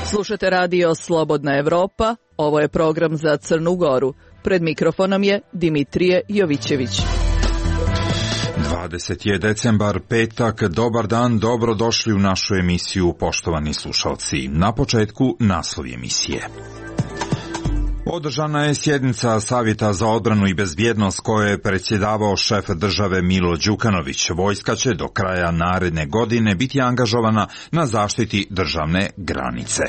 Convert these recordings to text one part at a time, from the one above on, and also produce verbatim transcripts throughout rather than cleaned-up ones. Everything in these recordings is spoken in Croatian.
Slušate radio Slobodna Evropa, ovo je program za Crnu Goru. Pred mikrofonom je Dimitrije Jovićević. dvadeseti je decembar, petak, dobar dan, dobrodošli u našu emisiju, poštovani slušalci. Na početku naslovi emisije. Održana je sjednica Savjeta za odbranu i bezbjednost koje je predsjedavao šef države Milo Đukanović. Vojska će do kraja naredne godine biti angažovana na zaštiti državne granice.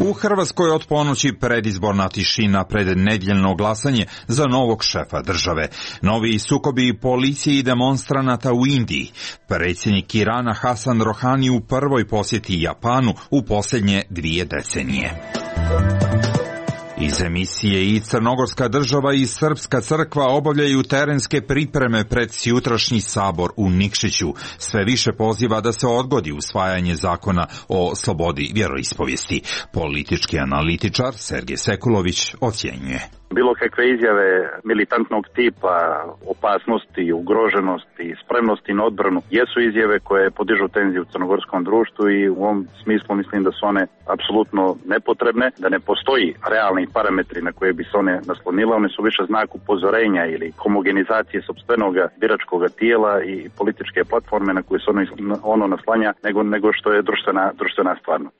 U Hrvatskoj od ponoći predizborna tišina pred nedjeljno glasanje za novog šefa države. Novi sukobi policije i demonstranata u Indiji. Predsjednik Irana Hasan Rohani u prvoj posjeti Japanu u posljednje dvije decenije. Iz emisije i Crnogorska država i Srpska crkva obavljaju terenske pripreme pred sjutrašnji sabor u Nikšiću. Sve više poziva da se odgodi usvajanje zakona o slobodi vjeroispovijesti. Politički analitičar Sergej Sekulović ocjenjuje. Bilo kakve izjave militantnog tipa, opasnosti, ugroženosti, spremnosti na odbranu jesu izjave koje podižu tenziju u crnogorskom društvu i u ovom smislu mislim da su one apsolutno nepotrebne, da ne postoji realni parametri na koje bi se one naslonile. One su više znak upozorenja ili homogenizacije sopstvenog biračkog tijela i političke platforme na koje se ono, ono naslanja nego, nego što je društvena, društvena stvarnost.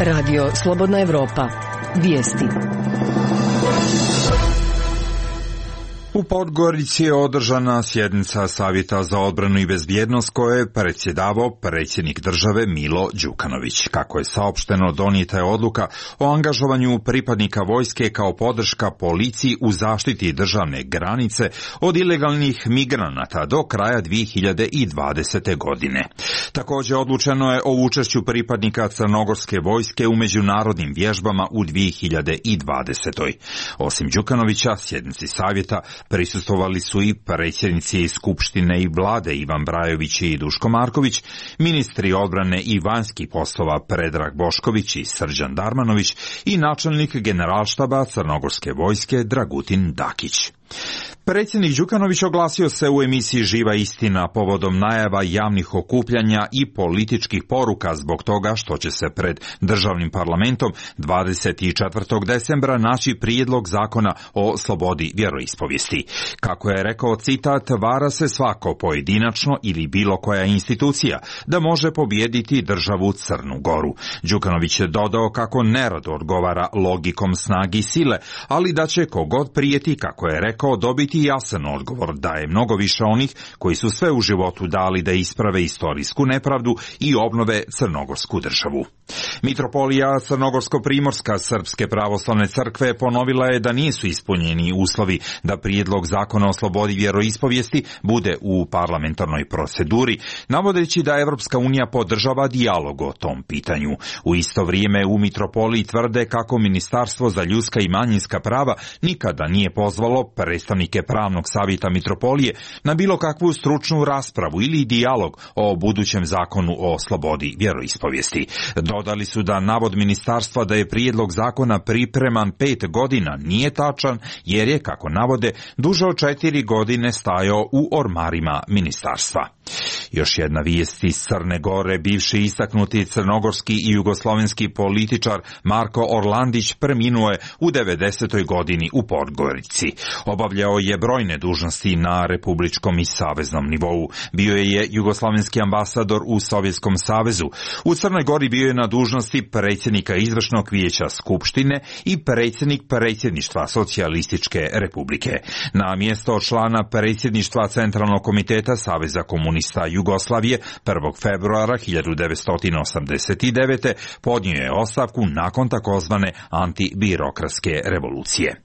Radio Slobodna Evropa. Vijesti. U Podgorici je održana sjednica Savjeta za odbranu i bezbjednost koje je predsjedavao predsjednik države Milo Đukanović. Kako je saopšteno, donijeta je odluka o angažovanju pripadnika vojske kao podrška policiji u zaštiti državne granice od ilegalnih migranata do kraja dvije hiljade dvadesete. godine. Također odlučeno je o učešću pripadnika crnogorske vojske u međunarodnim vježbama u dvije hiljade dvadesetoj. Osim Đukanovića, sjednici savjeta prisustvovali su i predsjednici Skupštine i vlade Ivan Brajović i Duško Marković, ministri odbrane i vanjskih poslova Predrag Bošković i Srđan Darmanović i načelnik generalštaba Crnogorske vojske Dragutin Dakić. Predsjednik Đukanović oglasio se u emisiji Živa istina povodom najava javnih okupljanja i političkih poruka zbog toga što će se pred državnim parlamentom dvadeset četvrtog decembra naći prijedlog zakona o slobodi vjeroispovijesti. Kako je rekao, citat, vara se svako pojedinačno ili bilo koja institucija da može pobijediti državu Crnu Goru. Đukanović je dodao kako nerado odgovara logikom snagi sile, ali da će kogod prijeti, kako je rekao, dobiti jasan odgovor da je mnogo više onih koji su sve u životu dali da isprave istorijsku nepravdu i obnove crnogorsku državu. Mitropolija Crnogorsko-Primorska Srpske pravoslavne crkve ponovila je da nisu ispunjeni uslovi da prijedlog zakona o slobodi vjeroispovijesti bude u parlamentarnoj proceduri, navodeći da Evropska unija podržava dijalog o tom pitanju. U isto vrijeme u Mitropoliji tvrde kako Ministarstvo za ljudska i manjinska prava nikada nije pozvalo predstavnike pravnog savjeta Mitropolije na bilo kakvu stručnu raspravu ili dijalog o budućem zakonu o slobodi vjeroispovijesti. Dodali su da navod ministarstva da je prijedlog zakona pripreman pet godina nije tačan, jer je, kako navode, duže od četiri godine stajao u ormarima ministarstva. Još jedna vijest iz Crne Gore, bivši istaknuti crnogorski i jugoslovenski političar Marko Orlandić preminuo je u devedesetoj godini u Podgorici. Obavljao je brojne dužnosti na republičkom i saveznom nivou. Bio je jugoslovenski ambasador u Sovjetskom savezu. U Crnoj Gori bio je na dužnosti predsjednika izvršnog vijeća Skupštine i predsjednik predsjedništva Socijalističke republike. Na mjesto člana predsjedništva Centralnog komiteta Saveza komunista Jugoslavije prvog februara hiljadu devetsto osamdeset devete. podnio je ostavku nakon takozvane antibirokratske revolucije.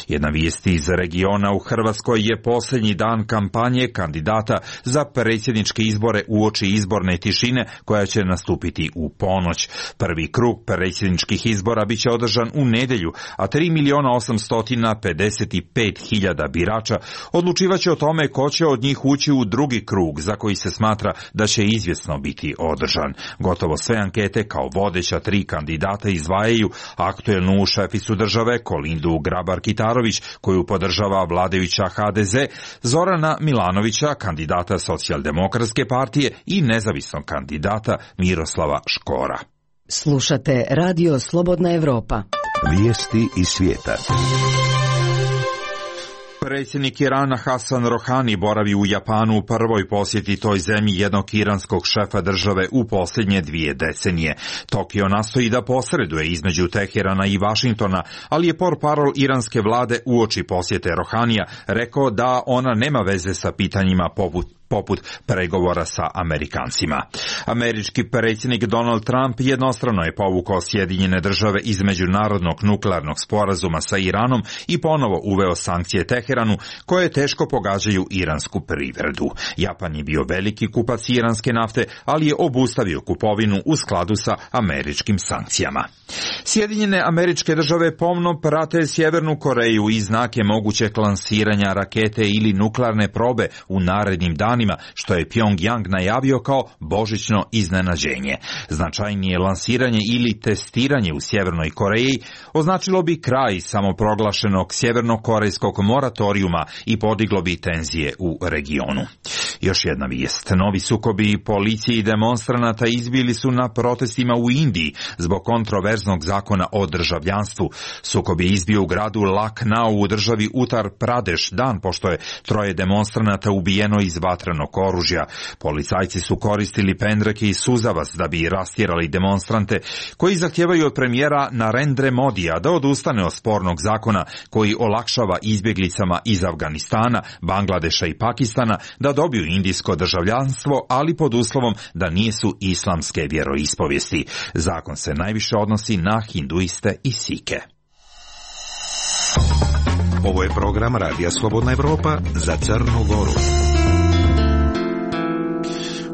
Jedna vijest iz regiona: u Hrvatskoj je posljednji dan kampanje kandidata za predsjedničke izbore uoči izborne tišine koja će nastupiti u ponoć. Prvi krug predsjedničkih izbora biće održan u nedjelju, a tri milijuna osamsto pedeset pet hiljada birača odlučivaće o tome ko će od njih ući u drugi krug, za koji se smatra da će izvjesno biti održan. Gotovo sve ankete kao vodeća tri kandidata izdvajaju aktuelnu šeficu države Kolindu Grabar-Kitarović Šeparović, koju podržava vladajuća ha de ze, Zorana Milanovića, kandidata Socijaldemokratske partije i nezavisnog kandidata Miroslava Škora. Slušate Radio Slobodna Evropa. Vijesti iz svijeta. Predsjednik Irana Hasan Rohani boravi u Japanu u prvoj posjeti toj zemlji jednog iranskog šefa države u posljednje dvije decenije. Tokio nastoji da posreduje između Teherana i Vašingtona, ali je portparol iranske vlade uoči posjete Rohanija rekao da ona nema veze sa pitanjima poput poput pregovora sa Amerikancima. Američki predsjednik Donald Trump jednostrano je povukao Sjedinjene države iz međunarodnog nuklearnog sporazuma sa Iranom i ponovo uveo sankcije Teheranu koje teško pogađaju iransku privredu. Japan je bio veliki kupac iranske nafte, ali je obustavio kupovinu u skladu sa američkim sankcijama. Sjedinjene Američke države pomno prate Sjevernu Koreju i znake mogućeg lansiranja rakete ili nuklearne probe u narednim danima, što je Pyongyang najavio kao božićno iznenađenje. Značajnije lansiranje ili testiranje u Sjevernoj Koreji označilo bi kraj samoproglašenog sjevernokorejskog moratorijuma i podiglo bi tenzije u regionu. Još jedna vijest. Novi sukobi policije i demonstranata izbili su na protestima u Indiji zbog kontroverznog zakona o državljanstvu. Sukob je izbio u gradu Lucknow u državi Uttar Pradesh dan pošto je troje demonstranata ubijeno iz vatrenog oružja. Policajci su koristili pendreke i suzavac da bi rastjerali demonstrante koji zahtijevaju od premijera Narendra Modija da odustane od spornog zakona koji olakšava izbjeglicama iz Afganistana, Bangladeša i Pakistana da dobiju indijsko državljanstvo, ali pod uslovom da nisu islamske vjeroispovijesti. Zakon se najviše odnosi na hinduiste i sike. Ovo je program Radija Slobodna Evropa za Crnu Goru.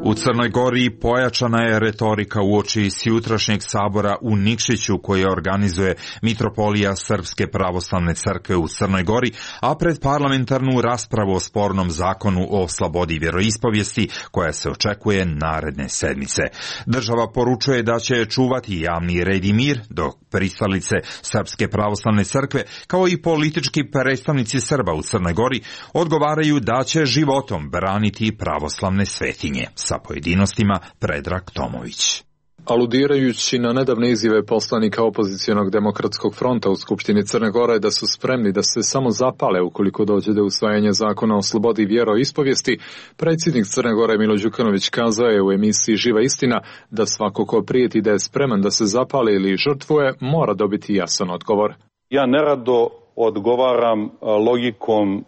U Crnoj Gori pojačana je retorika uoči sjutrašnjeg sabora u Nikšiću koje organizuje Mitropolija Srpske pravoslavne crkve u Crnoj Gori, a pred parlamentarnu raspravu o spornom zakonu o slobodi vjeroispovijesti koja se očekuje naredne sedmice. Država poručuje da će čuvati javni red i mir, dok pristalice Srpske pravoslavne crkve kao i politički predstavnici Srba u Crnoj Gori odgovaraju da će životom braniti pravoslavne svetinje. Sa pojedinostima Predrag Tomović. Aludirajući na nedavne izjave poslanika opozicionog demokratskog fronta u Skupštini Crne Gore da su spremni da se samo zapale ukoliko dođe do usvajanja zakona o slobodi vjeroispovijesti, predsjednik Crne Gore Milo Đukanović kazao je u emisiji Živa istina da svako ko prijeti da je spreman da se zapali ili žrtvuje mora dobiti jasan odgovor. Ja nerado odgovaram logikom uh,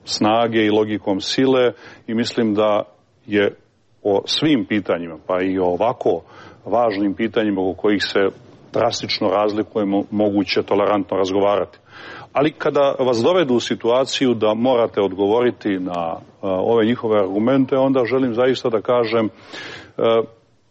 snage i logikom sile i mislim da je o svim pitanjima, pa i o ovako važnim pitanjima o kojih se drastično razlikujemo, moguće tolerantno razgovarati. Ali kada vas dovedu u situaciju da morate odgovoriti na uh, ove njihove argumente, onda želim zaista da kažem, uh,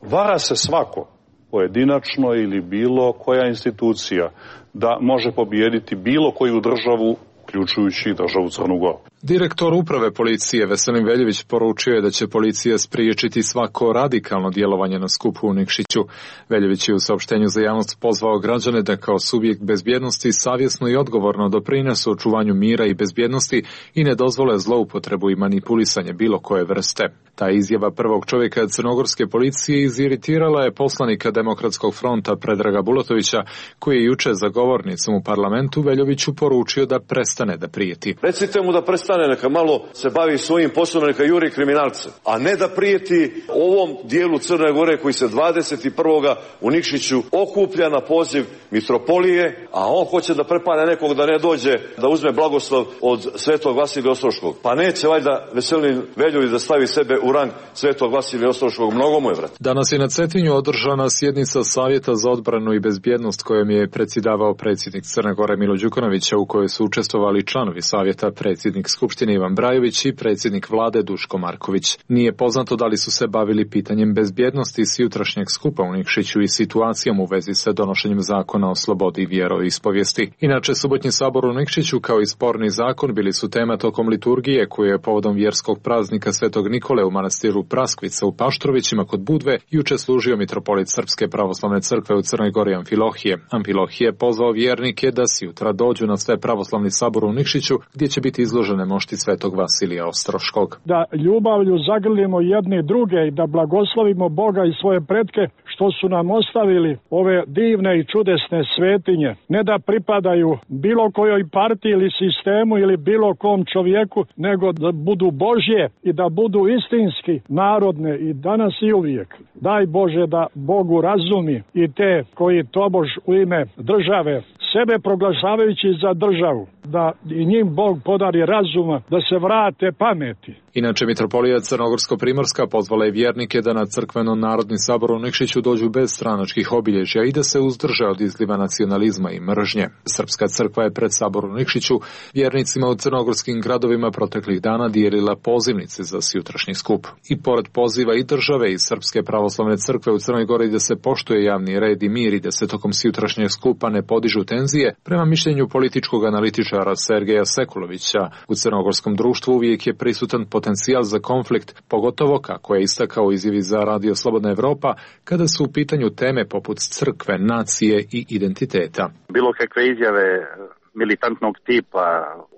vara se svako, pojedinačno ili bilo koja institucija, da može pobijediti bilo koju državu, uključujući državu Crnu Goru. Direktor uprave policije Veselin Veljević poručio je da će policija spriječiti svako radikalno djelovanje na skupu u Nikšiću. Veljević je u saopštenju za javnost pozvao građane da kao subjekt bezbjednosti savjesno i odgovorno doprinesu očuvanju mira i bezbjednosti i ne dozvole zloupotrebu i manipulisanje bilo koje vrste. Ta izjava prvog čovjeka crnogorske policije iziritirala je poslanika Demokratskog fronta Predraga Bulatovića, koji je juče za govornicom u parlamentu Veljoviću poručio da prestane da prijeti. Recite mu da prestane, neka malo se bavi svojim poslom, neka juri kriminalce, a ne da prijeti ovom dijelu Crne Gore koji se dvadeset prvog u Nikšiću okuplja na poziv mitropolije, a on hoće da prepane nekog da ne dođe da uzme blagoslov od Svetog Vasilija Ostroškog. Pa neće valjda Veselin Veljović da stavi sebe u rang Svetog Vasilija Ostroškog, mnogo mu je, vrat. Danas je na Cetinju održana sjednica Savjeta za odbranu i bezbjednost kojom je predsjedavao predsjednik Crne Gore Milo Đukanović, u kojoj su učestvovali članovi savjeta, predsjednik skupštine Ivan Brajović i predsjednik vlade Duško Marković. Nije poznato da li su se bavili pitanjem bezbjednosti s jutrašnjeg skupa u Nikšiću i situacijom u vezi sa donošenjem zakona o slobodi vjeroispovijesti. Inače, subotnji sabor u Nikšiću kao i sporni zakon bili su tema tokom liturgije koju je povodom vjerskog praznika Svetog Nikole u manastiru Praskvica u Paštrovićima kod Budve juče služio mitropolit Srpske pravoslavne crkve u Crnoj Gori Amfilohije. Amfilohije je pozvao vjernike da si jutra dođu na sve pravoslavni sabor u Nikšiću gdje će biti izložene mošti Svetog Vasilija Ostroškog. Da ljubavlju zagrlimo jedni druge i da blagoslovimo Boga i svoje pretke što su nam ostavili ove divne i čudesne svetinje. Ne da pripadaju bilo kojoj partiji ili sistemu ili bilo kom čovjeku, nego da budu Božje i da budu istinski narodne i danas i uvijek. Daj Bože da Bogu razumi i te koji tobož u ime države sebe proglašavajući za državu, da i njim Bog podari razuma, da se vrate pameti. Inače, mitropolija Crnogorsko-Primorska pozvala je vjernike da na crkveno-narodni sabor u Nikšiću dođu bez stranačkih obilježja i da se uzdrže od izliva nacionalizma i mržnje. Srpska crkva je pred sabor u Nikšiću vjernicima u crnogorskim gradovima proteklih dana dijelila pozivnice za sutrašnji skup. I pored poziva i države i Srpske pravoslavne crkve u Crnoj Gori da se poštuje javni red i mir i da se tokom sutrašnjeg skupa ne podižu tenzije, prema mišljenju političkog analitičara Sergeja Sekulovića, u crnogorskom društvu uvijek je prisutan potencijal za konflikt, pogotovo, kako je istakao izjavi za Radio Slobodna Evropa, kada su u pitanju teme poput crkve, nacije i identiteta. Bilo kakve izjave militantnog tipa,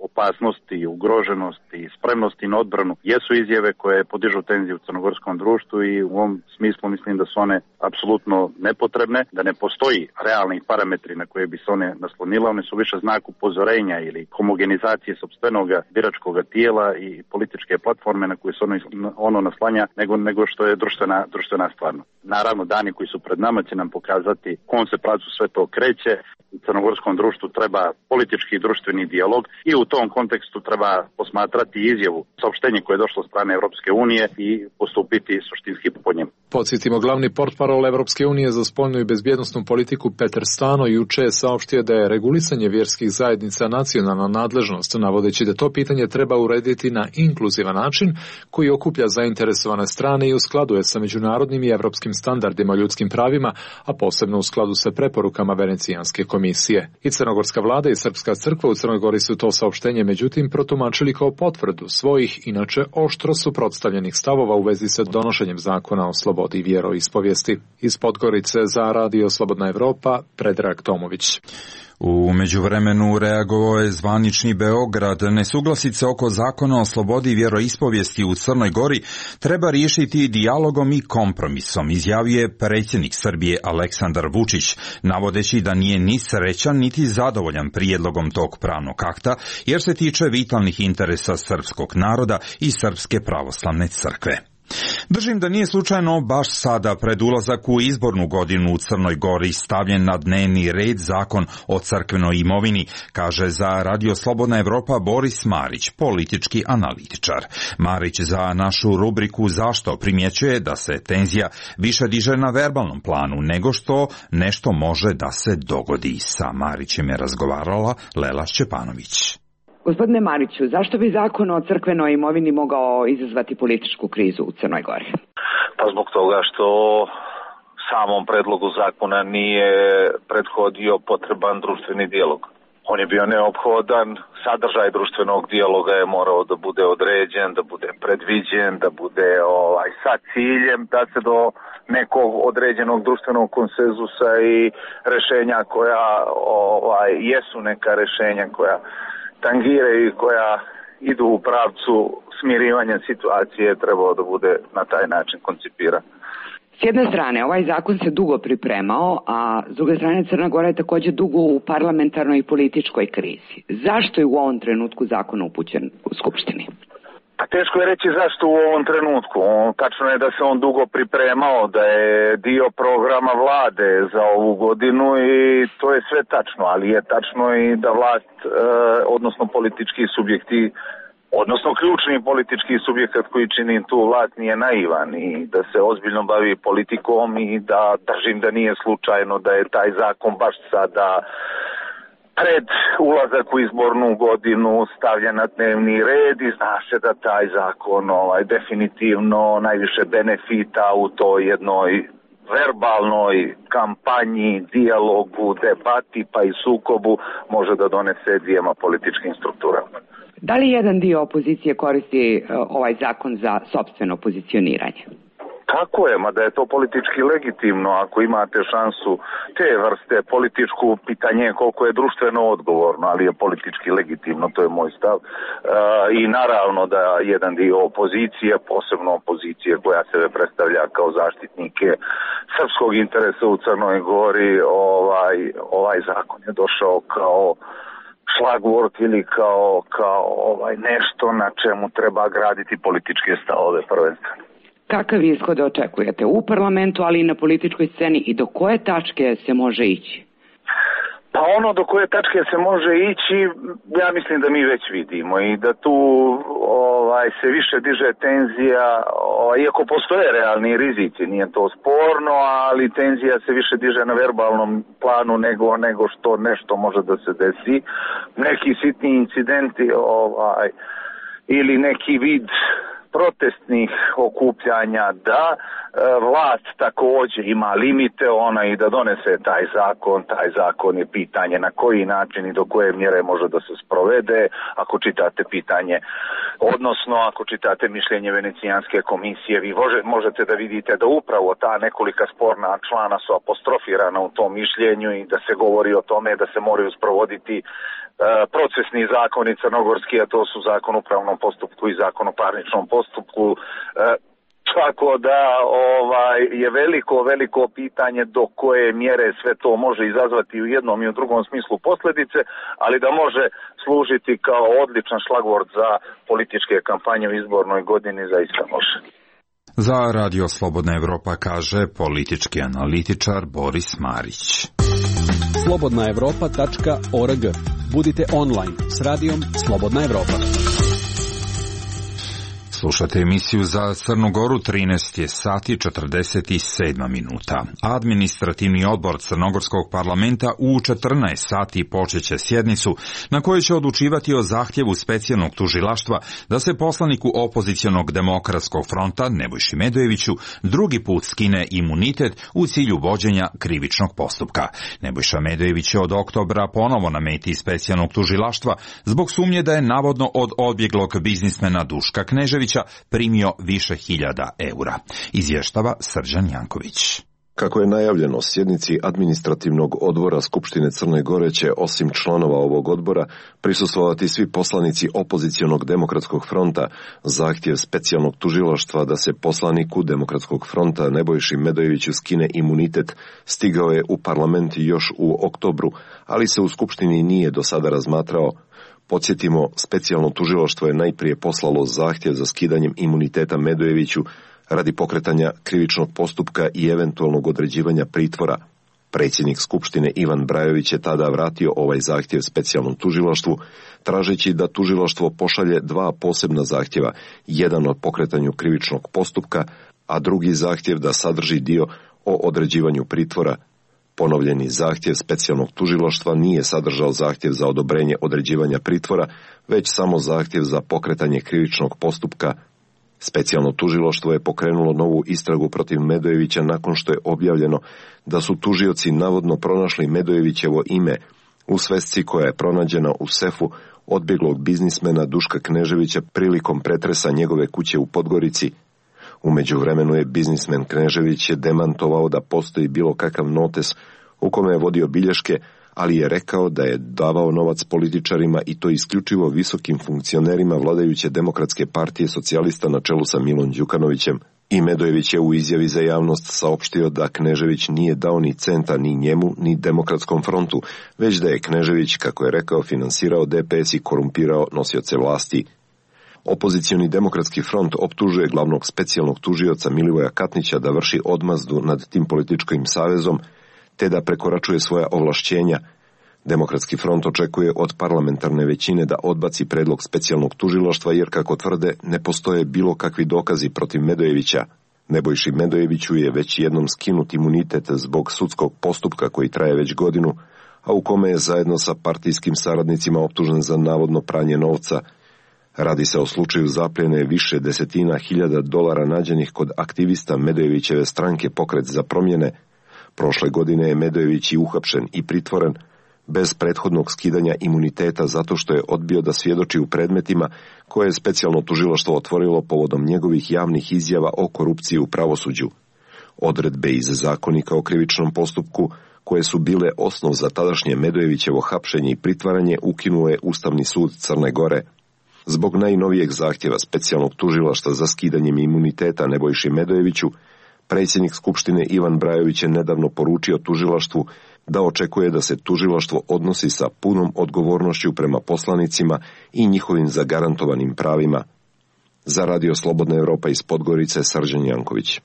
opasnosti, ugroženosti, spremnosti na odbranu jesu izjave koje podižu tenziju u crnogorskom društvu i u ovom smislu mislim da su one apsolutno nepotrebne, da ne postoji realni parametri na koje bi se one naslonile. One su više znak upozorenja ili homogenizacije sopstvenog biračkog tijela i političke platforme na koje se ono, ono naslanja nego, nego što je društvena, društvena stvarnost. Naravno, dani koji su pred nama će nam pokazati kom se pravcu sve to kreće. U crnogorskom društvu treba politički i društveni dijalog i u tom kontekstu treba posmatrati izjavu, saopštenje koje je došlo od strane Europske unije i postupiti suštinski po njemu. Podsjetimo, glavni portparol Europske unije za spoljnu i bezbjednosnu politiku Peter Stano juče je saopštio da je regulisanje vjerskih zajednica nacionalna nadležnost, navodeći da to pitanje treba urediti na inkluzivan način koji okuplja zainteresovane strane i uskladuje sa međunarodnim i evropskim standardima o ljudskim pravima, a posebno u skladu sa preporukama Venecijanske komisije. I crnogorska vlada i Srpska crkva u Crnoj Gori su to saopštenje međutim protumačili kao potvrdu svojih inače oštro suprotstavljenih stavova u vezi sa donošenjem zakona o slobodi vjeroispovijesti. Iz Podgorice za Radio Slobodna Evropa, Predrag Tomović. U međuvremenu reagovao je zvanični Beograd. Nesuglasice oko zakona o slobodi vjeroispovijesti u Crnoj Gori treba riješiti dijalogom i kompromisom, izjavio je predsjednik Srbije Aleksandar Vučić, navodeći da nije ni srećan niti zadovoljan prijedlogom tog pravnog akta, jer se tiče vitalnih interesa srpskog naroda i Srpske pravoslavne crkve. Držim da nije slučajno baš sada pred ulazak u izbornu godinu u Crnoj Gori stavljen na dnevni red zakon o crkvenoj imovini, kaže za Radio Slobodna Evropa Boris Marić, politički analitičar. Marić za našu rubriku Zašto primjećuje da se tenzija više diže na verbalnom planu nego što nešto može da se dogodi. Sa Marićem je razgovarala Lela Šćepanović. Gospodine Mariću, zašto bi zakon o crkvenoj imovini mogao izazvati političku krizu u Crnoj Gori? Pa zbog toga što samom predlogu zakona nije prethodio potreban društveni dijalog. On je bio neophodan, sadržaj društvenog dijaloga je morao da bude određen, da bude predviđen, da bude ovaj, sa ciljem da se do nekog određenog društvenog konsenzusa i rešenja koja ovaj, jesu neka rešenja koja tangiraju i koja idu u pravcu smirivanja situacije, trebao da bude na taj način koncipiran. S jedne strane, ovaj zakon se dugo pripremao, a s druge strane Crna Gora je također dugo u parlamentarnoj i političkoj krizi. Zašto je u ovom trenutku zakon upućen u Skupštini? A teško je reći zašto u ovom trenutku. Tačno je da se on dugo pripremao, da je dio programa vlade za ovu godinu i to je sve tačno, ali je tačno i da vlast, eh, odnosno politički subjekti, odnosno ključni politički subjekat koji čini tu vlast nije naivan i da se ozbiljno bavi politikom i da držim da nije slučajno da je taj zakon baš sada pred ulazak u izbornu godinu stavlja na dnevni red i zna se da taj zakon ovaj, definitivno najviše benefita u toj jednoj verbalnoj kampanji, dijalogu, debati pa i sukobu može da donese dvijema političkim strukturama. Da li jedan dio opozicije koristi ovaj zakon za sopstveno pozicioniranje? Tako je, mada je to politički legitimno ako imate šansu te vrste. Političku pitanje je koliko je društveno odgovorno, ali je politički legitimno, to je moj stav. E, I naravno da jedan dio opozicije, posebno opozicije koja se predstavlja kao zaštitnike srpskog interesa u Crnoj Gori, ovaj, ovaj zakon je došao kao šlagvort ili kao, kao ovaj, nešto na čemu treba graditi političke stavove prvenstveno. Kakav ishod očekujete u parlamentu, ali i na političkoj sceni i do koje tačke se može ići? Pa ono do koje tačke se može ići, ja mislim da mi već vidimo i da tu ovaj, se više diže tenzija, ovaj, iako postoje realni rizici, nije to sporno, ali tenzija se više diže na verbalnom planu nego, nego što nešto može da se desi. Neki sitni incidenti ovaj, ili neki vid protestnih okupljanja, da e, vlast također ima limite, ona i da donese taj zakon, taj zakon je pitanje na koji način i do koje mjere može da se sprovede. Ako čitate pitanje, odnosno ako čitate mišljenje Venecijanske komisije, vi može, možete da vidite da upravo ta nekolika sporna člana su apostrofirana u tom mišljenju i da se govori o tome da se moraju sprovoditi procesni zakoni crnogorski, a to su zakon o upravnom postupku i zakon o parničnom postupku. Tako da ovaj, je veliko, veliko pitanje do koje mjere sve to može izazvati u jednom i u drugom smislu posljedice, ali da može služiti kao odličan šlagvort za političke kampanje u izbornoj godini, zaista može. Za Radio Slobodna Evropa kaže politički analitičar Boris Marić. slobodna evropa tačka org. Budite online s radijom Slobodna Evropa. Slušate emisiju za Crnu Goru, trinaest je sati četrdeset sedam minuta. Administrativni odbor Crnogorskog parlamenta u četrnaest sati počeće sjednicu na kojoj će odlučivati o zahtjevu specijalnog tužilaštva da se poslaniku opozicionog Demokratskog fronta Nebojši Medojeviću drugi put skine imunitet u cilju vođenja krivičnog postupka. Nebojša Medojević je od oktobra ponovo na meti specijalnog tužilaštva zbog sumnje da je navodno od odbjeglog biznismena Duška Kneževića primio više hiljada eura. Izvještava Srđan Janković. Kako je najavljeno, sjednici administrativnog odbora Skupštine Crne Gore će, osim članova ovog odbora, prisustvovati svi poslanici opozicionog Demokratskog fronta. Zahtjev specijalnog tužilaštva da se poslaniku Demokratskog fronta Nebojši Medojeviću skine imunitet stigao je u parlament još u oktobru, ali se u Skupštini nije do sada razmatrao. Podsjetimo, specijalno tužilaštvo je najprije poslalo zahtjev za skidanjem imuniteta Medojeviću radi pokretanja krivičnog postupka i eventualnog određivanja pritvora. Predsjednik Skupštine Ivan Brajović je tada vratio ovaj zahtjev specijalnom tužilaštvu, tražeći da tužilaštvo pošalje dva posebna zahtjeva, jedan o pokretanju krivičnog postupka, a drugi zahtjev da sadrži dio o određivanju pritvora. Ponovljeni zahtjev specijalnog tužilaštva nije sadržao zahtjev za odobrenje određivanja pritvora, već samo zahtjev za pokretanje krivičnog postupka. Specijalno tužilaštvo je pokrenulo novu istragu protiv Medojevića nakon što je objavljeno da su tužioci navodno pronašli Medojevićevo ime u svesci koja je pronađena u sefu odbjeglog biznismena Duška Kneževića prilikom pretresa njegove kuće u Podgorici. U međuvremenu je biznismen Knežević je demantovao da postoji bilo kakav notes u kome je vodio bilješke, ali je rekao da je davao novac političarima i to isključivo visokim funkcionerima vladajuće Demokratske partije socijalista na čelu sa Milom Đukanovićem. I Medojević je u izjavi za javnost saopštio da Knežević nije dao ni centa ni njemu ni Demokratskom frontu, već da je Knežević, kako je rekao, finansirao D P S i korumpirao nosioce vlasti. Opozicioni Demokratski front optužuje glavnog specijalnog tužioca Milivoja Katnića da vrši odmazdu nad tim političkim savezom, te da prekoračuje svoja ovlašćenja. Demokratski front očekuje od parlamentarne većine da odbaci predlog specijalnog tužilaštva jer, kako tvrde, ne postoje bilo kakvi dokazi protiv Medojevića. Nebojši Medojeviću je već jednom skinut imunitet zbog sudskog postupka koji traje već godinu, a u kome je zajedno sa partijskim saradnicima optužen za navodno pranje novca. Radi se o slučaju zapljene više desetina hiljada dolara nađenih kod aktivista Medojevićeve stranke Pokret za promjene. Prošle godine je Medojević i uhapšen i pritvoren bez prethodnog skidanja imuniteta zato što je odbio da svjedoči u predmetima koje je specijalno tužilaštvo otvorilo povodom njegovih javnih izjava o korupciji u pravosuđu. Odredbe iz Zakonika o krivičnom postupku, koje su bile osnov za tadašnje Medojevićevo hapšenje i pritvaranje, ukinuo je Ustavni sud Crne Gore. Zbog najnovijeg zahtjeva specijalnog tužilaštva za skidanjem imuniteta Nebojši Medojeviću, predsjednik Skupštine Ivan Brajović je nedavno poručio tužilaštvu da očekuje da se tužilaštvo odnosi sa punom odgovornošću prema poslanicima i njihovim zagarantovanim pravima. Za Radio Slobodna Evropa iz Podgorice, Srđan Janković.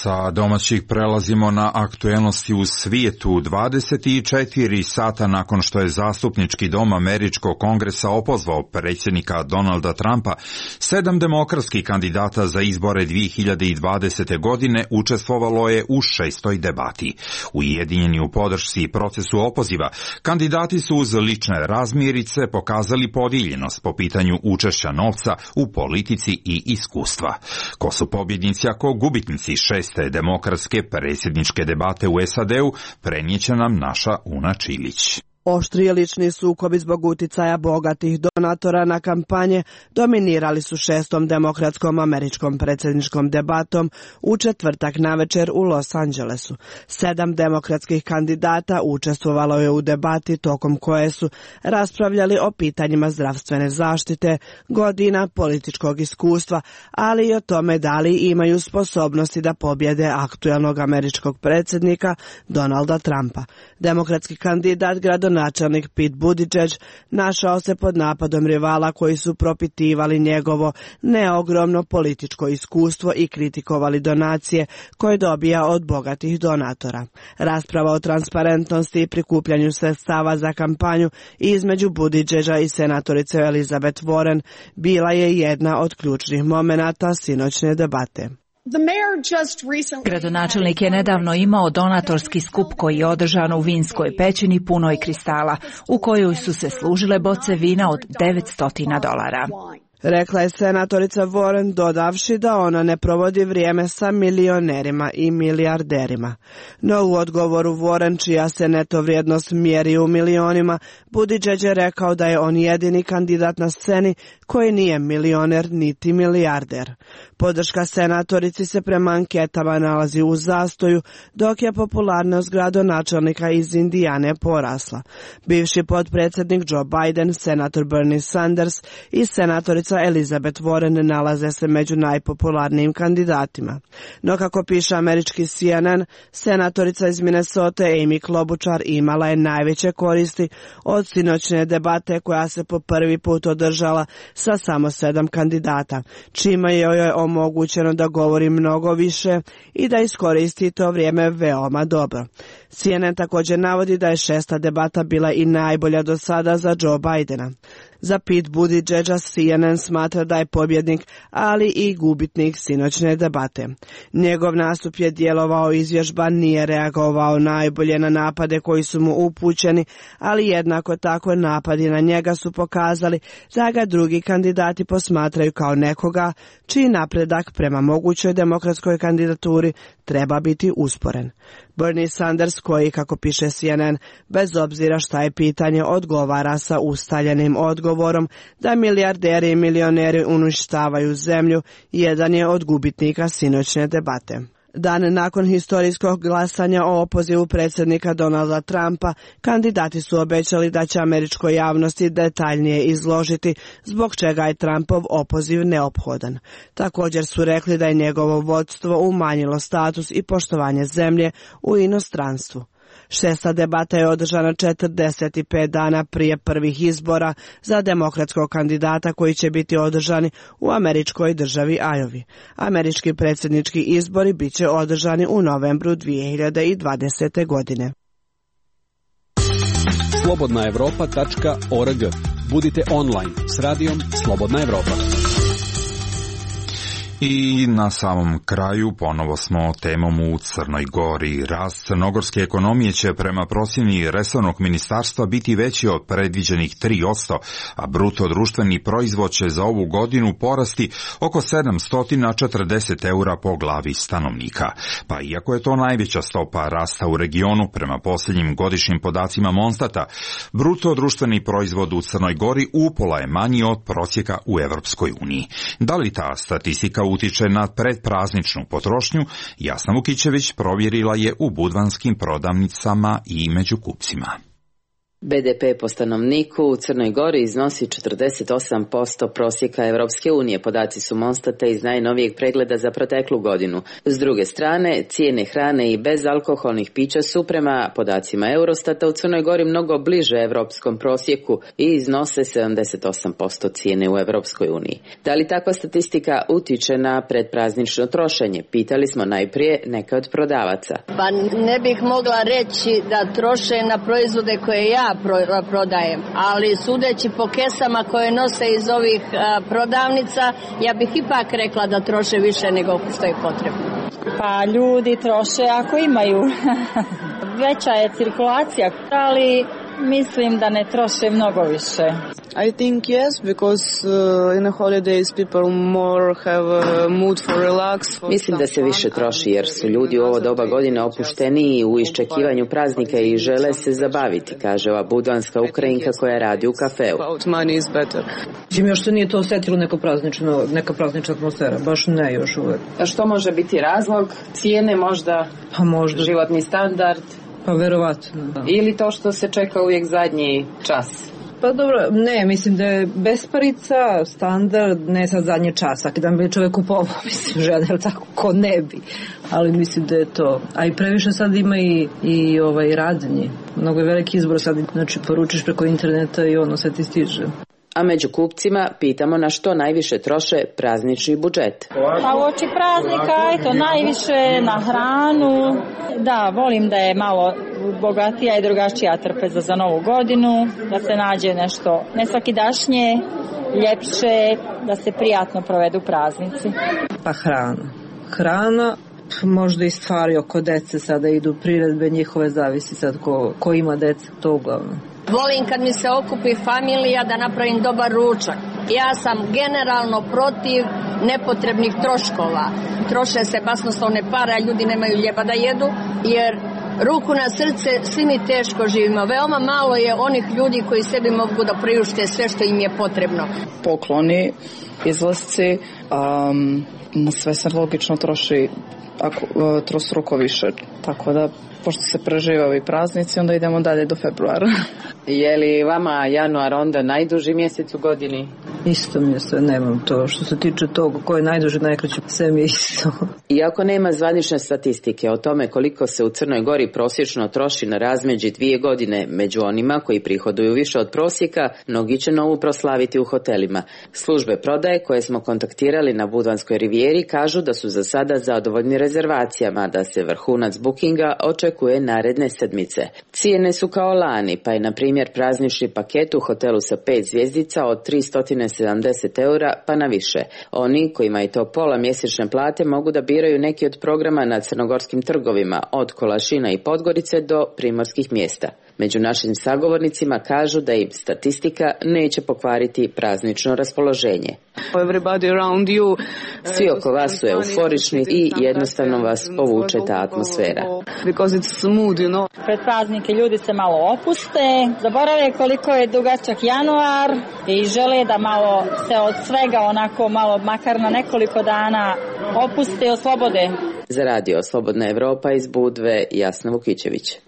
Sa domaćih prelazimo na aktuelnosti u svijetu. dvadeset četiri sata nakon što je zastupnički dom Američkog kongresa opozvao predsjednika Donalda Trumpa, sedam demokratskih kandidata za izbore dvije hiljade dvadesete. godine učestvovalo je u šestoj debati. Ujedinjeni u podršci procesu opoziva, kandidati su uz lične razmirice pokazali podijeljenost po pitanju učešća novca u politici i iskustva. Ko su pobjednici, a ko gubitnici šest te demokratske predsjedničke debate u S A D-u prenijeće nam naša Una Čilić. Oštri je lični sukobi zbog uticaja bogatih donatora na kampanje dominirali su šestom demokratskom američkom predsjedničkom debatom u četvrtak navečer u Los Angelesu. Sedam demokratskih kandidata učestvovalo je u debati tokom koje su raspravljali o pitanjima zdravstvene zaštite, godina, političkog iskustva, ali i o tome da li imaju sposobnosti da pobjede aktuelnog američkog predsjednika Donalda Trumpa. Demokratski kandidat gradonačelnik Načelnik Pete Buttigieg našao se pod napadom rivala koji su propitivali njegovo neogromno političko iskustvo i kritikovali donacije koje dobija od bogatih donatora. Rasprava o transparentnosti i prikupljanju sredstava za kampanju između Buttigiega i senatorice Elizabeth Warren bila je jedna od ključnih momenata sinoćne debate. Gradonačelnik je nedavno imao donatorski skup koji je održan u vinskoj pećini punoj kristala, u kojoj su se služile boce vina od devetsto dolara. Rekla je senatorica Warren, dodavši da ona ne provodi vrijeme sa milionerima i milijarderima. No u odgovoru Warren, čija se neto vrijednost mjeri u milionima, Buttigieg je rekao da je on jedini kandidat na sceni koji nije milioner niti milijarder. Podrška senatorici se prema anketama nalazi u zastoju, dok je popularnost gradonačelnika iz Indijane porasla. Bivši potpredsjednik Joe Biden, senator Bernie Sanders i senatorica Elizabeth Warren nalaze se među najpopularnijim kandidatima. No kako piše američki C N N, senatorica iz Minnesota Amy Klobuchar imala je najveće koristi od sinoćne debate koja se po prvi put održala sa samo sedam kandidata, čime joj je omogućeno da govori mnogo više i da iskoristi to vrijeme veoma dobro. C N N također navodi da je šesta debata bila i najbolja do sada za Joe Bidena. Za Pete Buttigiega C N N smatra da je pobjednik, ali i gubitnik sinoćne debate. Njegov nastup je djelovao izvježban, nije reagovao najbolje na napade koji su mu upućeni, ali jednako tako napadi na njega su pokazali da ga drugi kandidati posmatraju kao nekoga čiji napredak prema mogućoj demokratskoj kandidaturi treba biti usporen. Bernie Sanders, koji, kako piše C N N, bez obzira šta je pitanje, odgovara sa ustaljenim odgovorom da milijarderi i milioneri uništavaju zemlju, jedan je od gubitnika sinoćne debate. Dan nakon historijskog glasanja o opozivu predsjednika Donalda Trumpa, kandidati su obećali da će američkoj javnosti detaljnije izložiti zbog čega je Trumpov opoziv neophodan. Također su rekli da je njegovo vodstvo umanjilo status i poštovanje zemlje u inostranstvu. Šesta debata je održana četrdeset pet dana prije prvih izbora za demokratskog kandidata koji će biti održani u američkoj državi Iowa. Američki predsjednički izbori bit će održani u novembru dvije hiljade dvadesete. godine. slobodna evropa tačka org. Budite online s radijom Slobodna Evropa. I na samom kraju ponovo smo temom u Crnoj Gori. Rast crnogorske ekonomije će prema procjeni resornog ministarstva biti veći od predviđenih tri posto, a bruto društveni proizvod će za ovu godinu porasti oko sedamsto četrdeset eura po glavi stanovnika. Pa iako je to najveća stopa rasta u regionu, prema posljednjim godišnjim podacima Monstata, bruto društveni proizvod u Crnoj Gori upola je manji od prosjeka u Evropskoj uniji. Da li ta statistika utiče na predprazničnu potrošnju, Jasna Vukićević provjerila je u budvanskim prodavnicama i među kupcima. B D P po stanovniku u Crnoj Gori iznosi četrdeset osam posto prosjeka Evropske unije, podaci su Monstata iz najnovijeg pregleda za proteklu godinu. S druge strane, cijene hrane i bezalkoholnih pića su prema podacima Eurostata u Crnoj Gori mnogo bliže evropskom prosjeku i iznose sedamdeset osam posto cijene u Evropskoj uniji. Da li takva statistika utiče na predpraznično trošenje? Pitali smo najprije neke od prodavaca. Pa ne bih mogla reći da troše na proizvode koje ja prodajem, ali sudeći po kesama koje nose iz ovih a, prodavnica, ja bih ipak rekla da troše više nego što je potrebno. Pa ljudi troše ako imaju. Veća je cirkulacija, ali mislim da ne troše mnogo više. I think yes, because uh, in the holidays people more have a mood for relax. For Mislim da se više troši jer su ljudi u ovo doba godine opušteniji u iščekivanju praznika i žele se zabaviti, kaže ova budvanska Ukrajinka koja radi u kafeu. Money is better. Čim još se nije to osjetilo neko praznično, neka praznična atmosfera, baš ne još uvek. A što može biti razlog? Cijene možda? Pa možda. Životni standard? Pa verovatno, da. Ili to što se čeka uvijek zadnji čas? Pa dobro, ne, mislim da je besparica, standard, ne sad zadnji čas, svaki dan bi čovjek kupovao, mislim, žena, ili tako, ko ne bi, ali mislim da je to, a i previše sad ima i, i ovaj, radnje, mnogo je veliki izbor sad, znači poručiš preko interneta i ono sve ti stiže. A među kupcima pitamo na što najviše troše praznični budžet. Pa u oči praznika, eto, najviše na hranu. Da, volim da je malo bogatija i drugačija trpeza za novu godinu, da se nađe nešto ne svakidašnje, ljepše, da se prijatno provedu praznici. Pa hrana. Hrana, možda i stvari oko dece sada idu priredbe, njihove zavisi sad ko, ko ima dece, to uglavnom. Volim kad mi se okupi familija da napravim dobar ručak. Ja sam generalno protiv nepotrebnih troškova. Troše se basnoslovne pare, a ljudi nemaju ljeba da jedu, jer ruku na srce, svi mi teško živimo. Veoma malo je onih ljudi koji sebi mogu da priušte sve što im je potrebno. Pokloni, izlasci, um, na sve se logično troši ako, uh, trostruko više. Tako da, pošto se prežive ovi praznici, onda idemo dalje do februara. Je li vama januar onda najduži mjesec u godini? Isto mi je sve, nemam to. Što se tiče toga, ko je najduži, najkraći, sve mi je isto. Iako nema zvanične statistike o tome koliko se u Crnoj Gori prosječno troši na razmeđi dvije godine među onima koji prihoduju više od prosjeka, mnogi će novu proslaviti u hotelima. Službe prodaje koje smo kontaktirali na Budvanskoj rivijeri kažu da su za sada zadovoljni rezervacijama, da se vrhunac bookinga očekuje naredne sedmice. Cijene su kao lani, pa je na primjer praznični paket u hotelu sa pet zvjezdica od tristo sedamdeset eura pa na više. Oni kojima je to pola mjesečne plate mogu da biraju neki od programa na crnogorskim trgovima, od Kolašina i Podgorice do primorskih mjesta. Među našim sagovornicima kažu da im statistika neće pokvariti praznično raspoloženje. Svi oko vas su euforični i jednostavno vas povuče ta atmosfera. Pred praznike ljudi se malo opuste, zaborave koliko je dugačak januar i žele da malo se od svega onako malo makar na nekoliko dana opuste i oslobode. Za radio Slobodna Evropa iz Budve, Jasna Vukićević.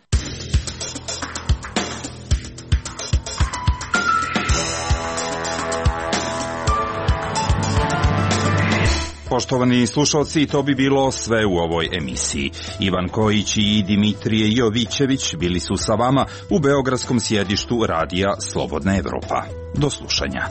Poštovani slušalci, to bi bilo sve u ovoj emisiji. Ivan Kojić i Dimitrije Jovićević bili su sa vama u beogradskom sjedištu radija Slobodna Evropa. Do slušanja.